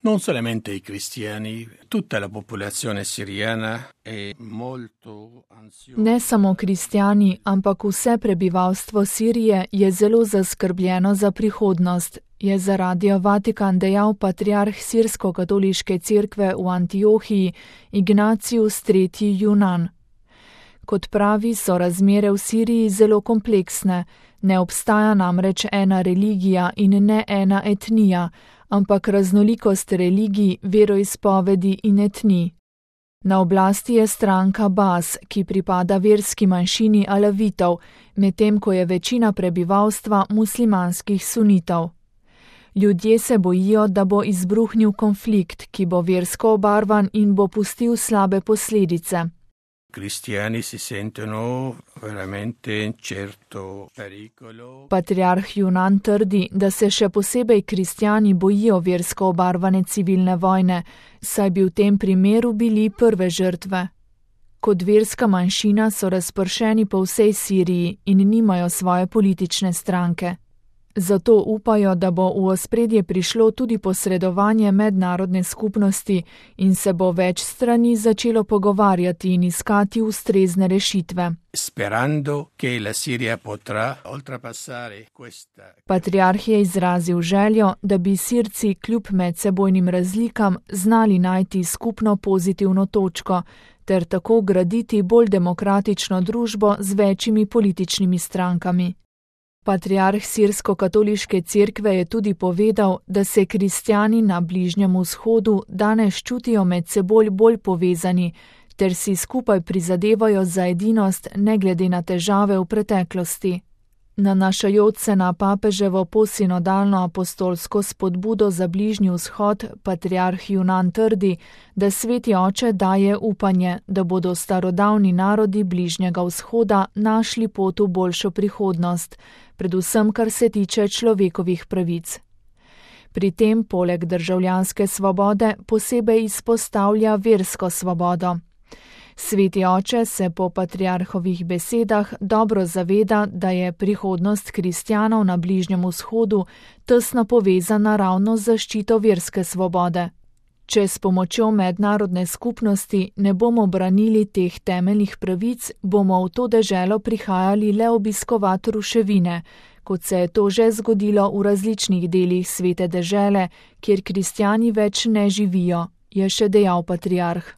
Non solamente i cristiani, tutta la popolazione siriana è molto ansiosa. Ne samo kristjani, ampak vse prebivalstvo Sirije je zelo zaskrbljeno za prihodnost, je za Radio Vatikan dejal patriarh Sirsko-katoliške cerkve v Antiohiji Ignatius III. Junan. Kot pravi, so razmere v Siriji zelo kompleksne, ne obstaja namreč ena religija in ne ena etnija, ampak raznolikost religij, veroizpovedi in etnij. Na oblasti je stranka Bas, ki pripada verski manjšini Alavitov, medtem ko je večina prebivalstva muslimanskih sunitov. Ljudje se bojijo, da bo izbruhnil konflikt, ki bo versko obarvan in bo pustil slabe posledice. Cristiani si sentono veramente in certo pericolo. Patriarh Junan trdi, da se še posebej kristjani bojijo versko obarvane civilne vojne, saj bi v tem primeru bili prve žrtve. Kot verska manjšina so razpršeni po vsej Siriji in nimajo svoje politične stranke. Zato upajo, da bo v ospredje prišlo tudi posredovanje mednarodne skupnosti in se bo več strani začelo pogovarjati in iskati ustrezne rešitve. Sperando che la Siria potrà oltrepassare questa. Patriarh je izrazil željo, da bi Sirci kljub medsebojnim razlikam znali najti skupno pozitivno točko ter tako graditi bolj demokratično družbo z večjimi političnimi strankami. Patriarh Sirsko-katoliške cerkve je tudi povedal, da se kristjani na Bližnjem vzhodu danes čutijo med seboj bolj povezani, ter si skupaj prizadevajo za edinost ne glede na težave v preteklosti. Nanašajoč se na papeževo posinodalno apostolsko spodbudo za Bližnji vzhod, patriarh Junan trdi, da Sveti Oče daje upanje, da bodo starodavni narodi Bližnjega vzhoda našli pot v boljšo prihodnost, predvsem kar se tiče človekovih pravic. Pri tem poleg državljanske svobode posebej izpostavlja versko svobodo. Sveti Oče se po patriarhovih besedah dobro zaveda, da je prihodnost kristjanov na Bližnjem vzhodu tesno povezana ravno z zaščito verske svobode. Če s pomočjo mednarodne skupnosti ne bomo branili teh temeljnih pravic, bomo v to deželo prihajali le obiskovati ruševine, kot se je to že zgodilo v različnih delih svete dežele, kjer kristjani več ne živijo, je še dejal patriarh.